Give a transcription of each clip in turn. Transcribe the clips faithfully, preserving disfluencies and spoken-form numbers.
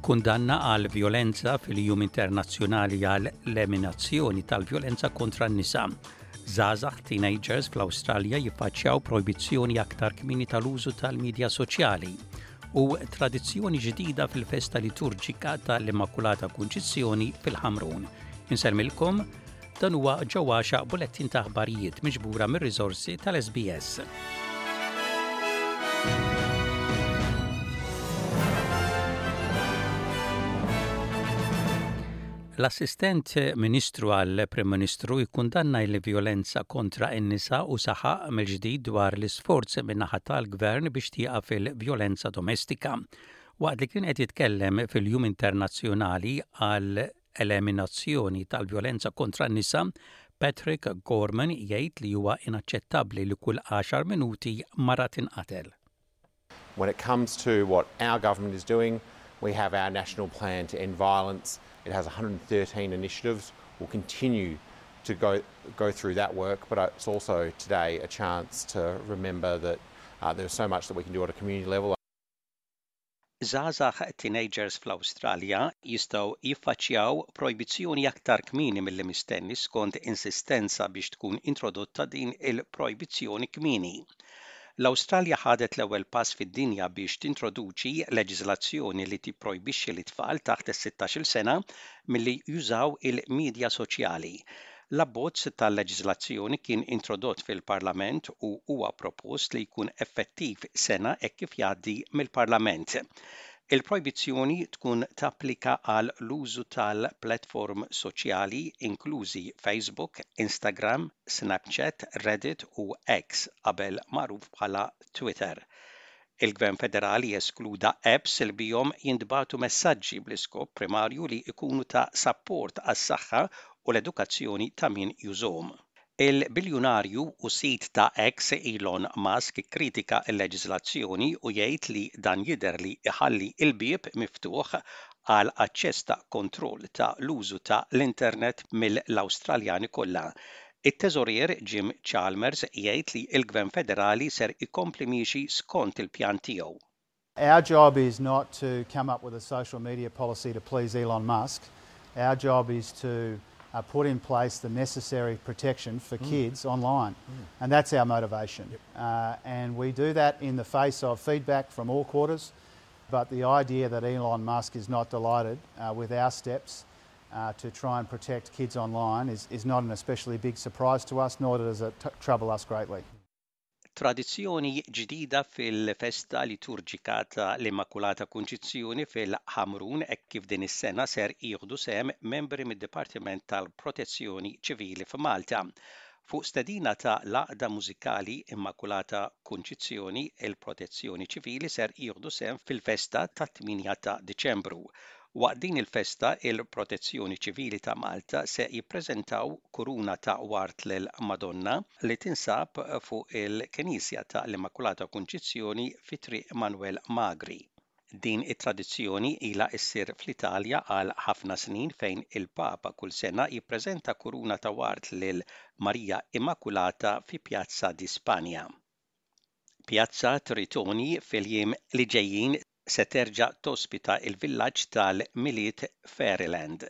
Kundanna għal violenza fil-Jum Internazzjonali għal l-Eliminazzjoni tal-Vjolenza kontra n-nisa. Żgħażagħ teenagers fl-Awstralja jiffaċċjaw projbizzjoni aktar kmieni tal-użu tal-medja soċjali u tradizzjoni ġdida fil-festa liturġika tal-Immakulata Kunċizzjoni fil-Ħamrun. Insellmilkom dan huwa ġewwaxa bulettin ta' aħbarijiet miġbura mir-riżorsi tal-SBS. L-Assistent Ministru għal Prim Ministru jikkundanna l-vjolenza kontra n-nisa u saħaq mill-ġdid dwar l-isforz min-naħa tal-Gvern biex tieqaf il-vjolenza domestika. Waqt li kien qed jitkellem fil-Jum Internazzjonali għal eliminazzjoni tal-vjolenza kontra n-nisa, Patrick Gorman jgħid li huwa inaċċettabbli li kull għaxar minuti mara tinqatel. When it comes to what our government is doing, we have our national plan to end violence. It has a hundred and thirteen initiatives. We'll continue to go, go through that work, but it's also today a chance to remember that, uh, there's so much that we can do at a community level. Żgħażagħ teenagers fl-Awstralja jistgħu jiffaċċjaw projbizzjoni aktar kmieni milli mistenni skont insistenza biex tkun introdotta din il-projbizzjoni kmieni. L-Awstralja ħadet l-ewwel pass fid-dinja biex tintroduċi leġiżlazzjoni li tipprojbixxi lit-tfal taħt is-sittax-il sena milli jużaw il-medja soċjali. L-abbozz tal-leġiżlazzjoni kien introdott fil-Parlament u huwa propost li jkun effettiv sena hekk kif jgħaddi mill-Parlament. Il-projbizzjoni tkun tapplika għal l-użu tal-platform soċjali inklużi Facebook, Instagram, Snapchat, Reddit u X qabel magħruf bħala Twitter. Il-Gvern Federali eskluda apps li bihom jintbagħtu messaġġi bl-iskop primarju li jkunu ta' sapport għas-saħħa u l-edukazzjoni ta' min jużhom. Il-biljunarju u sid ta' X Elon Musk kritika l-leġiżlazzjoni u jgħid li dan jidher li iħalli il-bieb miftuħ għal aċċess ta' kontroll ta' l-użu ta' l-internet mill-Awstraljani kollha. It-teżorier Jim Chalmers jgħid li l-Gvern Federali ser ikompli miexi skont il-pjan tiegħu. Our job is not to come up with a social media policy to please Elon Musk. Our job is to, uh, put in place the necessary protection for Mm. kids online. Mm. And that's our motivation. Yep. Uh, and we do that in the face of feedback from all quarters. But the idea that Elon Musk is not delighted, uh, with our steps, uh, to try and protect kids online is, is not an especially big surprise to us, nor does it t- trouble us greatly. Tradizzjoni ġdida fil-festa liturġika ta' l-Immakulata Kunċizzjoni fil-Ħamrun hekk kif din is-sena ser jieħdu sehem membri mid-Dipartiment tal-Protezzjoni Ċivili f'Malta. Fuq stedina ta' l-Għaqda Mużikali Immakulata Kunċizzjoni, il-Protezzjoni Ċivili ser jieħdu sehem fil-festa tat-tmienja ta' Diċembru. Waqt din il-festa, il-Protezzjoni Ċivili ta' Malta se jippreżentaw kuruna ta' ward lil Madonna li tinsab fuq il-Knisja ta' l-Immakulata Kunċizzjoni fi Triq Manuel Magri. Din it-tradizzjoni ilha ssir fl-Italja għal ħafna snin fejn il-Papa kull sena jippreżenta kuruna ta' ward lil Marija Immakulata fi Piazza di Spagna. Piazza Tritoni fil-jiem li ġejjin se terġa' tospita il-villaġġ tal-Milied Fairyland.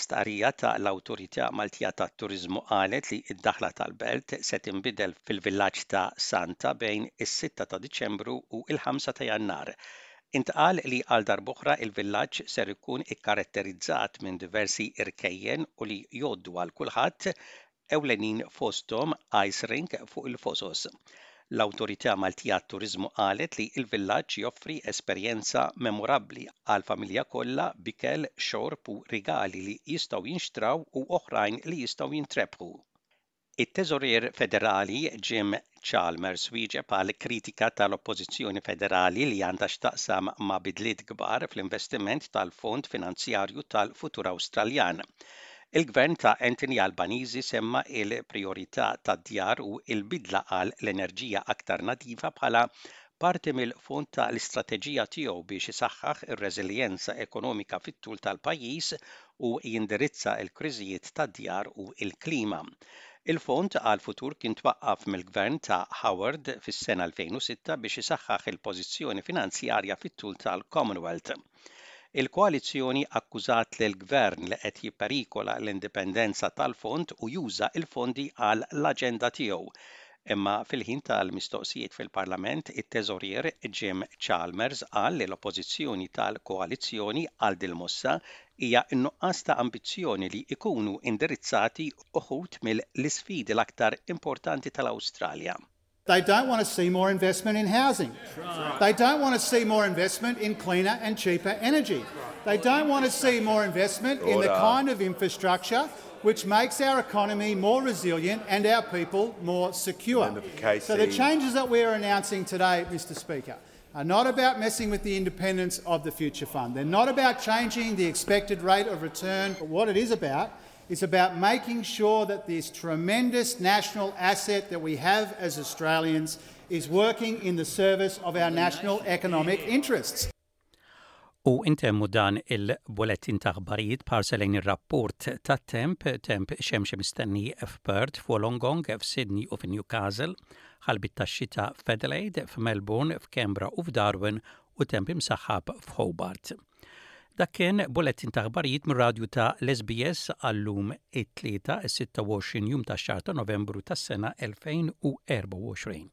Stqarrija ta' l-Awtorità Maltija tat-Turiżmu qalet li d-daħla tal-belt se tinbidel fil-villaġġ ta' Santa bejn is-sitta ta' Diċembru u l-ħamsa ta' Jannar. Intqal li għal darb'oħra il-villaġġ ser ikun ikkaratterizzat minn diversi irkejjen u li jgħoddu għal kulħadd ewlenin fosthom ice rink fuq il-fosos. L-Awtorità Maltija tat-Turiżmu qalet li l-villaġġ joffri esperjenza memorabbli għal familja kollha b'ikel, xorb u rigali li jistgħu jinxtraw u oħrajn li jistgħu jintrebħu. It-Teżorier Federali Jim Chalmers wieġeb għal kritika tal-Oppożizzjoni Federali li għandha x'taqsam ma' bidliet kbar fl-investiment tal-Fond Finanzjarju tal-Futur Awstraljan. Il-Gvern ta' Anthony Albanese semma il-priorità tad-djar u l-bidla għal l-enerġija aktar nadifa bħala parti mill-fond tal-istrateġija tiegħu biex isaħħaħ ir-reżiljenza ekonomika fit-tul tal-pajjiż u jindirizza l-kriżijiet tad-djar u l-klima. Il-Fond għal Futur kien twaqqaf mill-Gvern ta' Howard fis-sena elfejn u sitta biex isaħħaħ il-pożizzjoni finanzjarja fit-tul tal-Commonwealth. Il-koalizzjoni akkużat lill-gvern li qed jipperikola l-indipendenza tal-fond u juża il-fondi għal l-aġenda tiegħu. Imma fil-ħin tal-mistoqsijiet fil-Parlament, it-teżorier Jim Chalmers qal li l-oppożizzjoni tal-koalizzjoni għal dil-mossa hija n-nuqqas ta' ambizzjoni li ikunu indirizzati uħud mill-isfidi l-aktar importanti tal-Awstralja. They don't want to see more investment in housing. Right. They don't want to see more investment in cleaner and cheaper energy. They don't want to see more investment in the kind of infrastructure which makes our economy more resilient and our people more secure. So the changes that we are announcing today, Mister Speaker, are not about messing with the independence of the Future Fund. They're not about changing the expected rate of return. But what it is about is about making sure that this tremendous national asset that we have as Australians is working in the service of our national economic interests. U intemmu dan il-bulletin ta' aħbarijiet b'ħarsa lejn ir-rapport ta' temp, temp xemxi mistenni f'Perth, f'Wollongong, f'Sydney u f'Newcastle, ħalbiet ta' xita f'Adelaide, f'Melbourne, f'Canberra u f'Darwin u temp imsaħħab f'Hobart. Dak kien bulletin ta' aħbarijiet mir-radju ta' l-S B S għallum it-tlieta is-sitta u għoxrin jum ta' xahar ta' Novembru tas-sena elfejn u erbgħa u għoxrin.